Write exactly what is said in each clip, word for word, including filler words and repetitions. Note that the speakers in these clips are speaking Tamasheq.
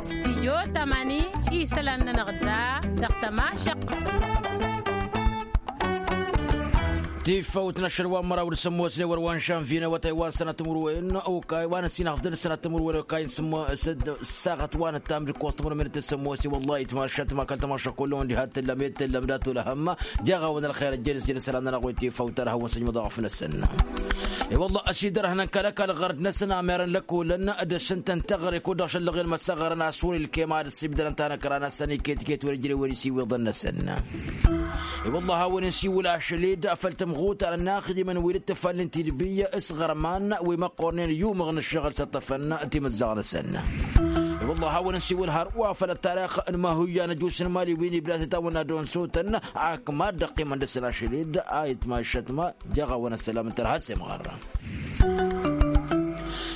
Stijyo tamani isălan-nănăɣ da dăɣ-tămašăq. Tifăwt n-ašăl wa n-măraw d-sămmosne wăr wa n-žănvine wătay wa n-sănat timǝrwen okay wa n-ăssinăɣ fdăl sănat timǝrwen okay n-sămmosăd. Saɣăt wa n-ăttam d-ǝkkoẓ timǝrwen d-tăssămmose wăllah itmašat ma kăl-tămašăk kullu wăn diha t-tǝllăm i-t-tǝllăm dat-olăhăm. Jaɣ-awăn ălxer ăjjănăs i-năsălan-nănăɣ wi tifăwt ad-hawăn-săjmăḍ aɣăf-năsăn. I-wăllah ăsidărhăn n-kăl-ăkall ɣărd-năsăn amerăn lăkkolăn d-ăššǝntăn teɣăre kud-dăɣ šăllăɣen măssăɣărăn a-s wăr-ilkem ad-ăssibdărăn tanăkra-năsăn iket-iket wăr-ijrewen isiwiḍăn-năsăn. I-wăllah a-wen insiwǝl ašăl-dd făll-tămɣutar n-inaxdimăn wi d-ǝttǝfalnen tidbi s-iɣărman wi măqqornen i-umăɣ n-ǝššăɣǝl s-ăṭṭăfăn timǝzzaɣ-năsăn. I-wăllah a-wen insiwǝl hărwa făll-ăttarix n-mahuyya n-ăjus n-imali wi n-ibda s-itawănna d-onsotăn ak mad-dd-ăqqimăn dăr-săn ašăl-dd a itmašăt ma. Jaɣ-awăn ăssălam n-tărha s-imɣărra.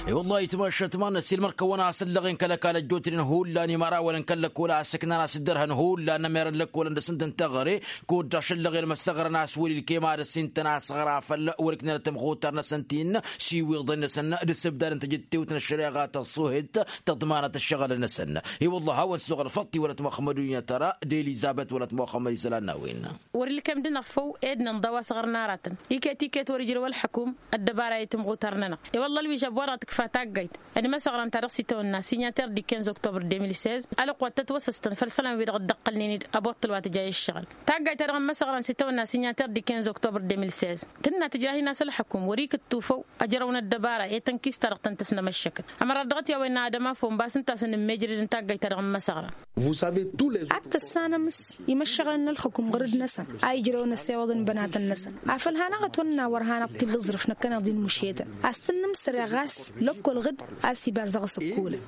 I-wăllah itmašăt ma n-ăssiilmăr-kăwăn a-s ăllăɣen kăl-ăkall ăjjootnen hullan imărawăn n-kăl-lăkkol a ăssăknan a-s dd-ărhăn hullan ămerăn lăkkolăn dăr-s ǝntăn teɣăre kud-dăɣ šăllăɣen măssăɣrăn a-s wăr-ilkem ad-ăssintăn asăɣra făll-wăr-iknăn tămɣutar-năsăn ti-n siwiḍăn-năsăn d-asǝbdad n-tajǝttewt n-ăššăreɣa tăṣṣuhet tăḍmanăt ăššăɣǝl-năsăn. I-wăllah a-wăn suɣ ălfăṭṭi wăla t-muxămmăd unyătăra d-elizabet wăla t-muxămmăd isălan n-a-wen. Wăr-ilkem dăɣ-năɣ făw ed nǝnḍa wa s-ɣărnarătăn iket-iket wăr-ijrăw ălḥăkum ăddăbara i-timɣutar-nănăɣ. I-wălla ălwižab wa dăɣ-tǝkfa taggayt d-imăsăɣrăn ta dăɣ-s itawănna signataire di quinze octobre deux mille seize ălăqwăt tătwăsăstăn făll-isălan-wi-dăɣ dd-ăqqălnen-dd ăboṭṭăl wa tǝja i-ǝššăɣǝl. Taggayt ta dăɣ-imăsăɣrăn s-itawănna signataire di quinze octobre deux mille seize tǝnna tǝjrah-in a-s ălḥăkum wăr-ikǝttu făw ăjrăwăn ăddăbara i-tănkist-ta-dăɣ tăn-tăsnămăššăkăt. Ămărat dăɣ-t i-a-wen n-ad-ămafon ba s-ǝnta a-s ănǝmmejrăd n-taggayt ta dăɣ-imăsăɣrăn. Ad-tăssanăm s-imăššăɣǝlăn n-ălxǝkum ɣǝrǝd-năsăn a ijrăwăn ăssewăḍăn bănatăn-năsăn. Afăl hanăɣ-ătwănna wăr hanăɣ-t-illa aẓrǝf năkkăneḍ-i n-mušetăn a-s tǝnnǝmsăreɣ ɣas lăkkol ɣǝd a-s iba-s dăɣ-s ǝkkulăn.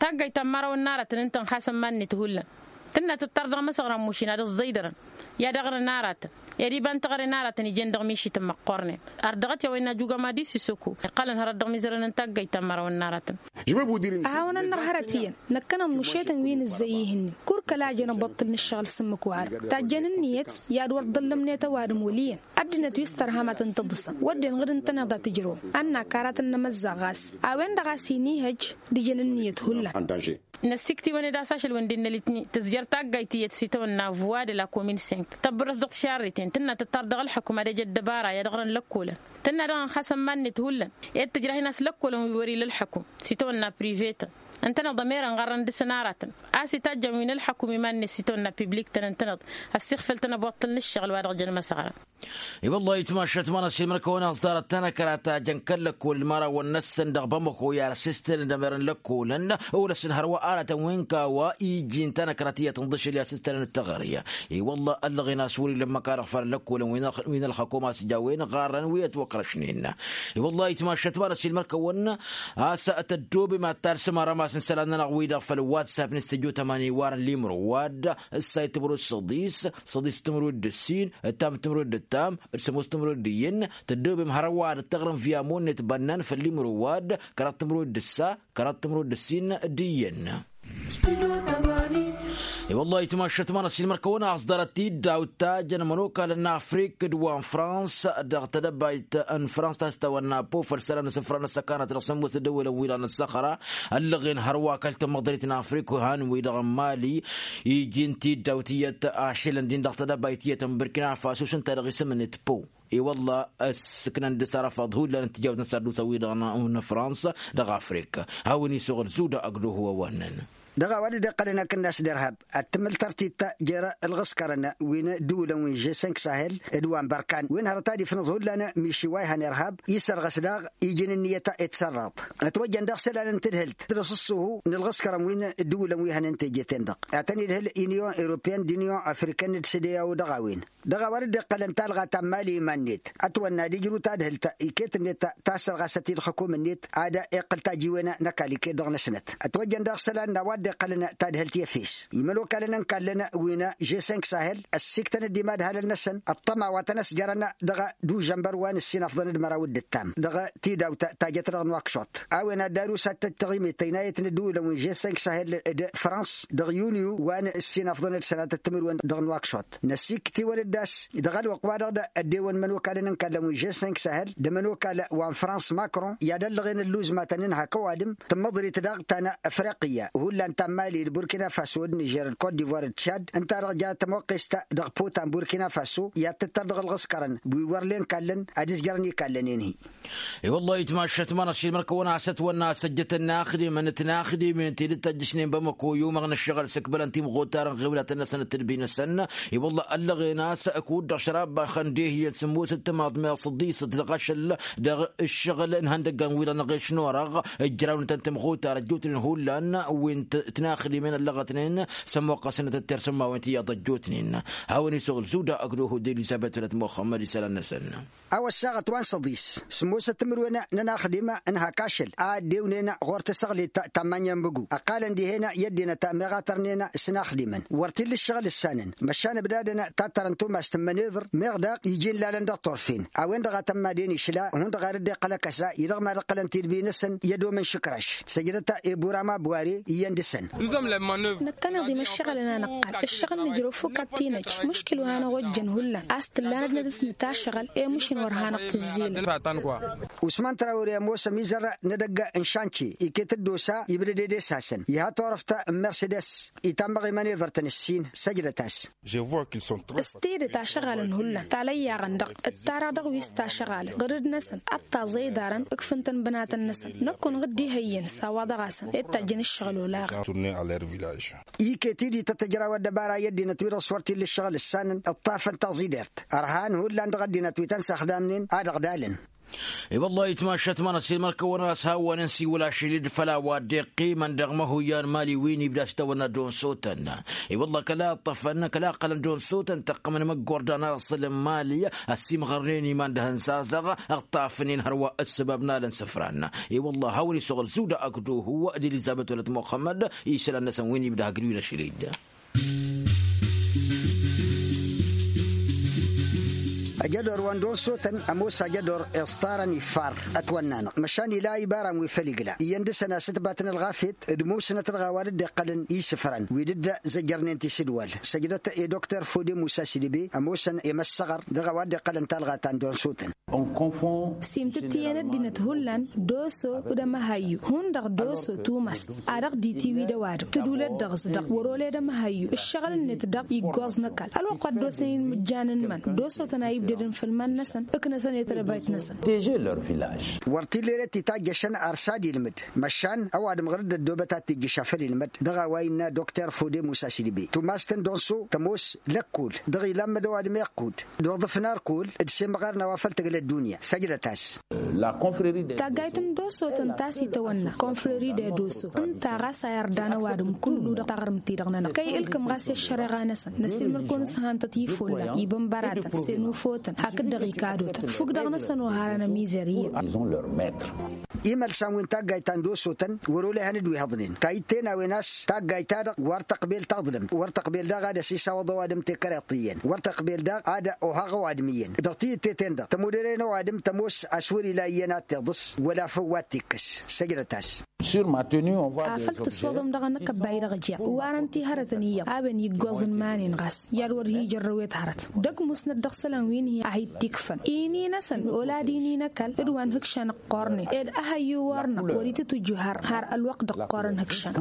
Taggayt ta n-imărawăn n-aratăn ǝntăn xasăn iman-net hullan tǝnna tǝttar dăɣ-imăsăɣran mušin ad-ăẓẓăydărăn i-ad-ăɣrǝn aratăn i-ad-iba n-teɣăre n-aratăn ijen dăɣ-mišităn măqqornen. Ar dăɣ-t i-a-wa innă jugama d-isisoko iqqălăn hărăt dăɣ-imizărăn n-taggayt ta n-imărawăn n-aratăn. Ăhawăn-nănăɣ hărăt iyyăn năkkăneḍ mušetăn wi nǝzzăy ihǝnnin. Kăr-kăla a jăn abăṭṭǝl n-ǝššăɣǝl s-ǝmmǝk wa-dăɣ tajjăn ǝnniyăt i-ad-wăr dd-ăllămnet ăwadǝm wăl' iyyăn. Ăddinăt wi s-tărham ad-tăn-tǝḍǝsăm wădden ɣǝd ǝntăneḍ a tǝjrăwăm. Ănn akar ad-tăn-nămăzzaɣ ɣas a-wen-dăɣ a-s inihăj d-ijăn ǝnniyăt hullan. Năssikt'-iwăn-dd a-s ašăl-wǝn dd-innă litni tǝzjăr taggayt tiyyăt s-itawănna vuwa de la komin sink tăbbărăs dăɣ-tišarriten tǝnna tǝttar dăɣ-ălḥăkum ad-ăj ăddăbara i-ad-ăɣrăn lăkkolăn. Tǝnna daɣ ănxasăn iman-net hullan ed tǝjrah-in a-s lăkkolăn wi wăr-ila ălḥăkum s-itawănna privetăn ǝntăneḍ ămerăn ɣarrăn dăr-săn aratăn a-s itajjăn wi n-ălḥăkum iman-net s-itawănna pibliktăn ǝntăneḍ. Ăssiɣfăl-tăn ăboṭṭăl n-ǝššăɣǝl wa dăɣ-jăn măsăɣrăn. I-wăllah itmašat ma n-ăsilmăr-kăwăn aẓẓarăt tanăkra ta jăn kăl-lăkkol d-imărawăn-năsăn dăɣ-bamăko i-ad-ăssistălăn d-ămerăn lăkkolăn. Olăsăn hărwa aratăn wi n-kawa iji n-tanăkra tiyyăt n-ḍašăl i-ad-ăssistălăn d-teɣăre. I-wăllah ăllăɣen a-s wăr-ila ǝmmǝk a dăɣ-făll-lăkkolăn wi n-ălxăkom a-s jawen ɣarrăn wi ătwăkrăšnen. I-wăllah itmašat ma n-ăsilmăr-kăwăn a-s tăddoobem ad-talsăm arămas n-isălan-nănăɣ-wi-dăɣ făll-whatsapp n-studyo tămani iwarăn limro wa-dd ǝssay timǝrwed săḍis săḍis timǝrwed d-ǝssin ǝttam timǝrwed d-ǝttam d-sămoos timǝrwed d-iyyăn. Tăddoobem hărăt wa ad-ăttăɣrǝm via monnet bănnan făll-imǝrǝw wa-dd kăraḍ timǝrwed d-ǝssa kăraḍ timǝrwed d-ǝssin d-iyyăn. I-wăllah itmašat ma n-ăsilmăr-kăwăn a ăẓḍarăt tiddawt ta jăn ămănokalăn n-afrik d-wa n-frans dăɣ-tedăbayt n-frans ta s-tawănna po făll-isălan n-isǝfra n-ăssăkanăt dăɣ-sămmosăt d-ăwwălăn-wi-dăɣ n-ăssăxra. Ăllăɣen hărwa kăl-tamăḍrit n-afrik han-wi-dăɣ n-mali iji n-tiddawt iyyăt ašălăn din dăɣ-tedăbayt iyyăt n-burkina faso s-ǝnta dăɣ-isǝm-net po. I-wălla ăssǝknăn dăr-s arăfaḍ hullan n-tijawt n-sărdusăn-wi-dăɣ n-frans dăɣ-afrik. Hawăn-isuɣǝl zuda ăgg-duhu ăwannăn. Dăɣ-a-wa dd-iqqălăn akǝnnas d-irhab ad-tǝmmǝl tărtit jer-ălɣǝskărăn wi n-ǝddǝwǝlăn wi n-žesink sahel d-wa n-bărkan wi n-hărăt ad-ifnǝẓ hullan miši wa ihăn irhab. Isărɣăs daɣ iji n-ǝnniyăt i-tǝsărraḍt ătwăjjăn daɣ isălan n-tadhǝlt d-asǝṣṣuhu n-ǝlɣǝskărăn wi n-ǝddǝwǝlăn wi hănen teje-ten-dăɣ ad-tăn-idhǝl inyon europeyăn d-inyon afrikăn d-sădeyawo dăɣ-a-wen. Dăɣ-a-wa dd-iqqălăn talɣa ta n-mali iman-net ătwănna ad-ijrǝw tadhǝlt iket-net ta ăssărɣasăt i-ǝlxǝkum-net ad-iqqǝl tajiwen n-ăkall iket dăɣ-năsnăt. Ătwăjjăn daɣ isălan n-a-wa iqqălăn tadhǝlt i-efes imănokalăn n-kallăn wi n-žesink sahel ăssiktăn-dd imadhalăn-năsăn ăṭṭăma wa tăn-ăsjărăn dăɣ-dužănbăr wa n-ǝssin afḍăn d-măraw d-ǝttam dăɣ-tidawt ta jăt dăɣ-nuwakšuṭ. A-wen ad-darus ad-tăj taɣimet tăynayăt n-ǝddǝwǝlăn wi n-žesink sahel d-frans dăɣ-yunyu wa n-ǝssin afḍăn d-sănatăt timǝrwen dăɣ-nuwakšuṭ. Năsiktǝwăn-dd a-s dăɣ-ălwăqq-wa-dăɣ d-ăddewăn imănokalăn n-kallăn wi n-žesink sahel d-ămănokal wa n-frans makron i-ad-ăllăɣen ǝlluzmatăn n-hak ăwadǝm tǝmmăḍrit daɣ ta n-afriqiyya hullan ta n-mali d-burkina faso d-nižer d-kot divoir d-čad ǝnta-dăɣ ja tămoqqest dăɣ-potan burkina faso i-ad-tǝttăr dăɣ-ălɣǝskărăn wi wăr len kallăn ad-ǝzjărăn ikallăn-en-hi. I-wălla-hi ǝtmašat ma n-ašilmăr kăwăn-asăt wănna a-s ăjjătăn inaxdimăn tinaxdimen ti dd-tăjjăšnen bamăko i-umăɣ n-ǝššăɣǝl s-ǝkbălăn timɣutar n-ɣiwlatăn-năsăn d-tǝdbi-năsăn. I-wălla ăllăɣen a-s ăkudda šărabaxăn dehiyyăn sǝmmosăt timaḍ meɣ săḍisăt dăɣ-ašăl dăɣ-ǝššăɣǝl n-ihăndăggan wi-dăɣ n-eɣeš n-orăɣ ǝjrawnătăn timɣutar ăjjootnen hullan wi n-tinaxdimen ăllăɣătnen s-ămmuqqăsnăt ăttersǝmmawen tiyyăḍ ăjjootnen. Hawăn-isuɣǝl zuda ăgg-duhud elizăbet wălăt muxămmăd isălan-năsăn. A-wa ăssaɣăt wa n-săḍis sǝmmosăt timǝrwen n-inaxdim n-hak ašăl a ăddewnen ɣur-tǝsăɣlit ta n-manyănbǝgu ăqqalăn dihen i-ăddinăt meɣ a tărnen s-inaxdimăn wăr t-illa ǝššăɣǝl ǝssanăn măšan ǝbdadăn tattărăn tumast n-mănevăr meɣ daɣ iji n-lalăn dăɣ-turfen a-wen-dăɣ a tămmaden išla hundăɣ a dd-iqqăl ăkăsa-i dăɣ-mad-ǝqqălăn tidbi-năsăn i-ădomăn šǝkraš. Săjdăt i-burama buware iyyăn dăɣ-săn. Năkkăneḍ-im ǝššăɣǝl n-anăqqal ǝššăɣǝl nǝjrăw fukk ad-t-inăjj muškil wa hanăɣ-ojjăn hullan a-s tǝllanăt nădǝsnǝt ašăɣǝl i-mušǝn wăr hanăɣ-tǝzzilăn. Usman trawre ămoos ămizăr n-edăgg n-šance iket-dd osa ibdăd edesasăn iha turăft n-mersedes itammăɣ i-mănevăr-tăn ǝssin. Săjdăt-as. S-tidǝt ašăɣalăn hullan talăyyaɣăn-dăɣ ǝttara dăɣ-wi s-tašăɣalăn ɣǝrǝd-năsăn ad-taẓăy iḍarăn ǝkfǝn-tăn bănatăn-năsăn. Năkk-unăɣ dd-ihăyyăn s-a-wa dăɣ-asăn i-dd-tajjăn ǝššăɣǝl olaɣăn. Iket-i d-ităt ǝjraw ăddăbara i-ăddinăt-wi-dăɣ s-wăr t-illa ǝššăɣǝl ǝssanăn ǝṭṭafăn taẓidert ărhan hullan dăɣ-ăddinăt wi tăn-săxdamnen ad-ăɣdalăn. I-wăllah itmašat manăt s-ilmăr-kăwăn a-s hawăn-in-siwǝl ašăl-dd făll-a-wa dd-iqqimăn dăɣ-măhuyyan mali wi n-ibda s-tawănna d-unsutăn. I-wăllah kăla ǝṭṭăfăn kăla ǝqqălăn d-unsutăn tăqqămăn măggordan aẓǝl n-mali ăssiimɣărnen iman d-ahăn sazăɣ ǝṭṭafnen hărwa ǝssăbab n-alăn sǝfran. I-wăllah hawăn-isuɣǝl zuda ăkduhu d-elizăbet wălăt muxămmăd isălan-năsăn wi n-ibda hagdǝw-in ašăl-dd. Ajădor wa n-donsotăn ămoos ajădor iẓtarăn iffar ătwănn'-anăɣ măšan ila ibaran wi făll-igla iyyăn dăɣ-săn a-s ǝtbatăn ălɣafyăt d-musnăt dăɣ-a-wa dd-iqqălăn isǝfran wi dd-zăjjărnen tisǝdwal. Săjdăt i-dr fode musa sidebe ămoosăn i-măssăɣăr dăɣ-a-wa dd-iqqălăn talɣa ta n-donsotăn. Simtǝt iyyăn ăddinăt hullan doso d-amăhayyu hundăɣ doso tumăst a dăɣ-ditiwi d-ăwadǝm tǝdulăt dăɣ-s dăɣ wăr-oled amăhayyu ǝššăɣǝl-net dăɣ iggoẓ n-ăkall ălwăqq wa dd-osăn inmǝjjan n-iman doso-tăn a ibdădăn făll-iman-năsăn ǝknăsăn i-tădăbayt-năsăn. Wăr t-illa ere titajjăšăn ar s-ad-ilmǝd măšan ăwadǝm ɣur-dd ăddoobăt ad-t-ijjǝš a făl ilmăd dăɣ-a-wa innă dokter fode musa sidbe tumast n-donso tămoos lăkkol dăɣ-ilammăd ăwadǝm iqqud d-oḍǝf n-arkul d-semɣar n-a-wa făl tǝgla ăddunya. Săjdăt-as. Taggayt n-doso tǝnta a-s itawănna konfreri d-edoso ǝnta ɣas a irdan ăwadǝm kullu dăɣ-taɣrǝmt-ti-dăɣ-nănăɣ kăy-ǝlkǝm ɣas i-ăššăreɣa-năsăn năsiilmăr-kăwăn s-hantăt ifullan ibănbăratăn s-enufotăn hakd-dăɣ ikadotăn fukk dăɣ-năsăn oharăn ămizăr iyyăn. Imălsan wi n-taggayt ta n-dosotăn wăr-olehăn d-wi hăḍnen ta itte n-a-wen a-s taggayt-ta-dăɣ wăr tăqbel taḍlǝmt wăr tăqbel daɣ ad-ăsisawăḍ ăwadǝm tekăreḍt iyyăn wăr tăqbel daɣ ad-ohăɣ ăwadǝm iyyăn dăɣ-tiyǝtte-ten-dăɣ tămudăre n-ăwadǝm tămoos a-s wăr-ila iyyăn ad-t-iḍǝs wăla făw wa t-ikkăs. Săjdăt-as. Afăl tǝswăḍăm dăɣ-anăkăbbay dăɣ-ja ǝwarăn ti hărătăn iyyăḍ a-wen iggoẓ n-iman-in ɣas i-ad-wăr hi-ijărrăwet hărăt dăgg-musnăt dăɣ-isălan wi n-hi-ahit-ikfăn ini-năsăn ola ad-ini n-ăkall d-wa n-hǝkšan ăqqornen ed ăhăyyu wăr-năɣ wăr-itǝtwǝjju har har ălwăqq d-ăqqorăn hǝkšan.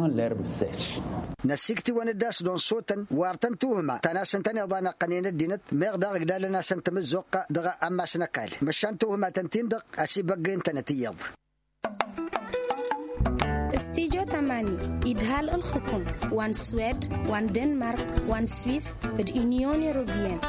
Năsiktǝwăn-dd a-s d-unsutăn wăr tăn-tuhǝma ta n-asǝntăn iḍan ăqqănen ăddinăt meɣ daɣ ǝgdalăn-asăn tamǝzzuɣt dăɣ-ammas n-ăkall măšan tuhǝmatăn-tin-dăɣ ăsibăggăyăn-tănăt iyyăḍ. Studyo tamani idhal ǝlxǝkum wa n-swed wa n-denmark wa n-swis d-unyon europeyăn.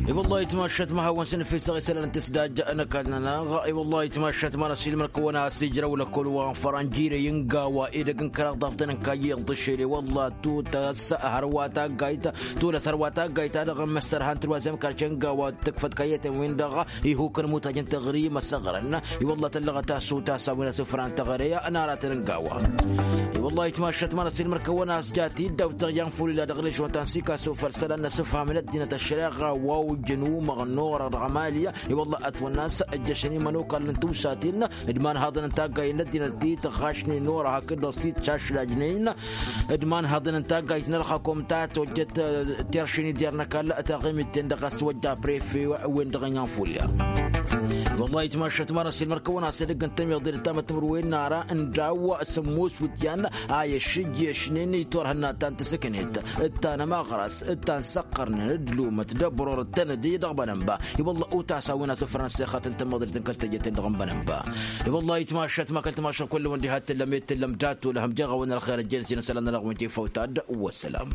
I-wăllah itmašat ma hawăn-săn efesăɣ isălan n-tǝsdajja n-ăkall-nănăɣ. I-wăllah itmašat ma n-ăsilmăr kăwăn-as ijrăw lăkkol wa n-făran jire i-ǝnga wa edăgg n-kăraḍ ḍaɣ-tăn n-kayyeḍ dăšel i-wăllah tutas hărwa taggayt. Tulăs hărwa taggayt a dăɣ-măssărhan tǝlwazem karce ǝnga wa tǝkfăt kayyăten-win-dăɣ. Ihukăn mutaj n-tăɣri măsăɣrăn i-wăllah tăllăɣăt a-s utas a-wen asǝfran tăɣre n-aratăn ǝnga wa. I-wăllah itmašat ma n-ăsilmăr kăwăn-as jat-dd daw-tăɣ i-anfulila dăɣ-režon ta n-sikasu făll-isălan n-asǝfham n-ăddinăt ăššăreɣa wa ojăn umăɣ n-orăɣ dăɣ-amali. I-wăllah ătwănna a-s ǝjjăšăn imănokal n-tiwsaten d-imanhaḍăn n-taggayen n-ăddinăt ti tăɣašnen orăɣ hakd-dăɣ s-dd-šašlajnen d-imanhaḍăn n-taggayt n-ălxakom ta tojjăt teršen ider n-ăkall taɣimit-ten-dăɣ a-s wăjja prefe-wen-dăɣ n-ianfulya. Wăllah itmašat ma n-ăsilmăr kăwăn-as edăgg n-tămiḍe d-tamătmăr-wen n-ara n-daw sămmos wǝtyan a i-ăššǝjješnen itorhănna ta n-tǝsǝknet d-tanămaɣras d-tansăqqărnen d-lumăt d-ăbror d-tănădi dăɣ-bănănba. I-wăllah utas a-wen asǝfran s-exat n-tămăḍrit n-kăl-tăjjăten dăɣ-n bănănba. I-wăllah itmašat ma kăl-timašăn kull-wăn diha t-tǝllăm i-tǝllăm datulăhăm jeɣ a-wen ălxer ăjjeen s-inăsălan n-alăɣwen tifăwtad. Wăssălam.